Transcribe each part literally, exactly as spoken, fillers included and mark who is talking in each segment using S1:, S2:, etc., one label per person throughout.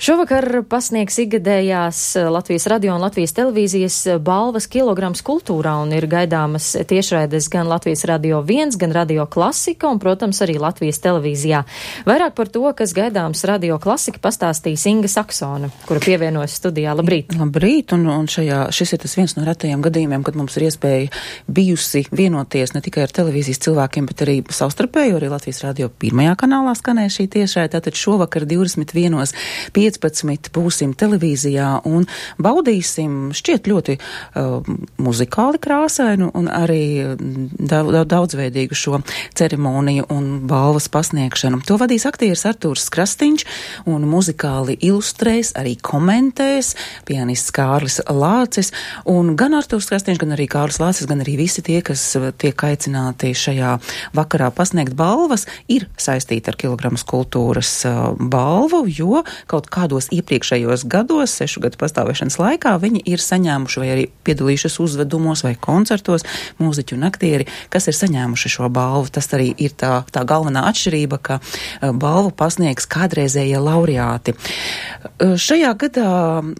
S1: Šovakar pasniegs ikgadējās Latvijas radio un Latvijas televīzijas balvas kilograms kultūrā un ir gaidāmas tiešraides gan Latvijas radio viens, gan radio klasika un, protams, arī Latvijas televīzijā. Vairāk par to, kas gaidāms radio klasika, pastāstīs Inga Saksona, kura pievienojas studijā. Labrīt!
S2: Labrīt, un, un šajā, šis ir tas viens no retajiem gadījumiem, kad mums ir iespēja bijusi vienoties ne tikai ar televīzijas cilvēkiem, bet arī savstarpēji, arī Latvijas radio pirmajā kanālā skanēja šī tiešraide. Tātad šovakar divdesmit vienos piecpadsmit būsim televīzijā un baudīsim šķiet ļoti uh, muzikāli krāsainu un arī daudz, daudzveidīgu šo ceremoniju un balvas pasniegšanu. To vadīs aktieris Artūrs Krastīņš un muzikāli ilustrēs, arī komentēs pianists Kārlis Lācis. Un gan Artūrs Krastīņš, gan arī Kārlis Lācis, gan arī visi tie, kas tiek aicināti šajā vakarā pasniegt balvas, ir saistīti ar Kilograms kultūras uh, balvu, jo kaut kādos iepriekšējos gados, sešu gadu pastāvēšanas laikā, viņi ir saņēmuši vai arī piedalījušies uzvedumos vai koncertos, mūziķi un aktieri, kas ir saņēmuši šo balvu. Tas arī ir tā, tā galvenā atšķirība, ka uh, balvu pasniegs kādreizējie laureāti. Uh, šajā gadā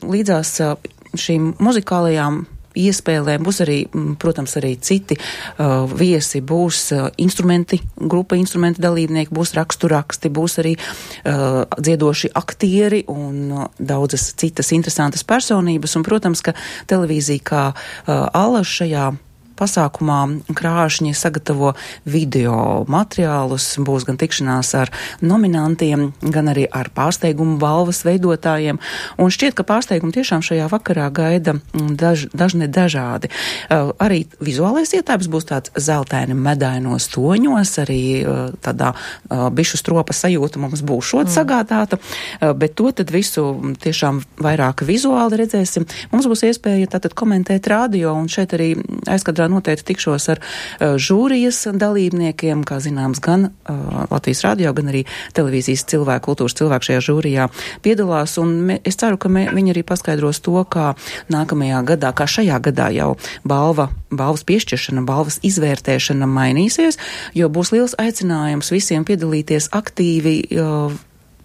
S2: līdzās uh, šīm muzikālajām iespēlēm būs arī, protams, arī citi uh, viesi, būs uh, instrumenti, grupa instrumenti dalībnieki, būs raksturaksti, būs arī uh, dziedoši aktieri un uh, daudzas citas interesantas personības. Un, protams, ka televīzija kā uh, alaž šajā pasākumā krāšņi sagatavo video materiālus, būs gan tikšanās ar nominantiem, gan arī ar pārsteigumu balvas veidotājiem. Un šķiet, ka pārsteigumi tiešām šajā vakarā gaida daž, dažne dažādi. Uh, arī vizuālais ietēps būs tāds zeltaini medainos toņos, arī uh, tādā uh, bišu stropa sajūta mums būs šot mm. sagādāta, uh, bet to tad visu tiešām vairāk vizuāli redzēsim. Mums būs iespēja tātad komentēt radio, un šeit arī aizkadrā noteikti tikšos ar uh, žūrijas dalībniekiem, kā zināms, gan uh, Latvijas radio, gan arī televīzijas cilvēku, kultūras cilvēku šajā žūrijā piedalās, un me, es ceru, ka me, viņi arī paskaidros to, kā nākamajā gadā, kā šajā gadā jau balva, balvas piešķiršana, balvas izvērtēšana mainīsies, jo būs liels aicinājums visiem piedalīties aktīvi uh,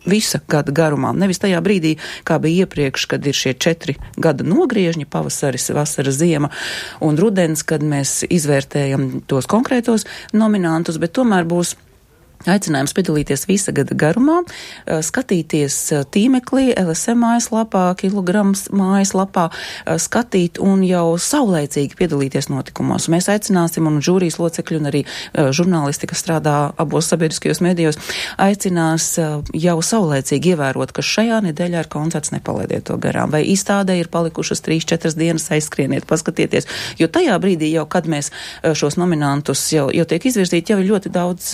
S2: visa gada garumā. Nevis tajā brīdī, kā bija iepriekš, kad ir šie četri gada nogriežņi, pavasaris, vasara, ziema un rudens, kad mēs izvērtējam tos konkrētos nominantus, bet tomēr būs aicinājums piedalīties visa gada garumā, skatīties tīmeklī, L S M mājaslapā, Kilograms mājaslapā, skatīt un jau saulēcīgi piedalīties notikumos. Mēs aicināsim, un žūrijas locekļi un arī žurnālisti, kas strādā abos sabiedriskajos medijos, aicinās jau saulēcīgi ievērot, ka šajā nedēļā ir koncerts, nepalaidiet to garām. Vai izstādē ir palikušas trīs četras dienas, aizskrieniet, paskatieties, jo tajā brīdī jau, kad mēs šos nominantus jau, jau tiek izvirzīti, jau ir ļoti daudz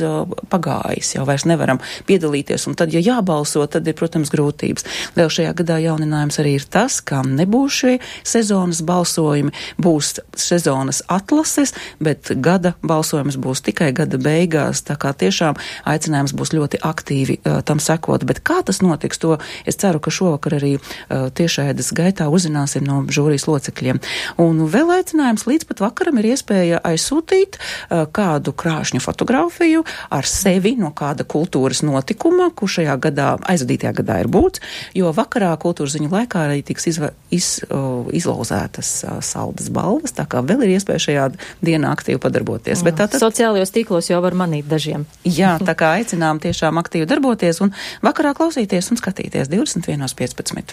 S2: pagājuši. Jau vairs nevaram piedalīties, un tad, ja jābalso, tad ir, protams, grūtības. Vēl šajā gadā jauninājums arī ir tas, ka nebūs šie sezonas balsojumi, būs sezonas atlases, bet gada balsojums būs tikai gada beigās, tā kā tiešām aicinājums būs ļoti aktīvi uh, tam sekot. Bet kā tas notiks, to es ceru, ka šovakar arī uh, tiešraides gaitā uzzināsim no žūrijas locekļiem. Un vēl aicinājums līdz pat vakaram ir iespēja aizsūtīt uh, kādu krāšņu fotografiju ar sevi no kāda kultūras notikuma, kur šajā gadā, aizvadītajā gadā ir būts, jo vakarā kultūras ziņu laikā arī tiks izva, iz, uh, izlauzētas uh, saldas balvas, tā kā vēl ir iespēja šajā dienā aktīvi padarboties.
S1: Jā, bet tātad, sociālajos tīklos jau var manīt dažiem.
S2: Jā, tā kā aicinām tiešām aktīvi darboties un vakarā klausīties un skatīties divdesmit vienos piecpadsmit.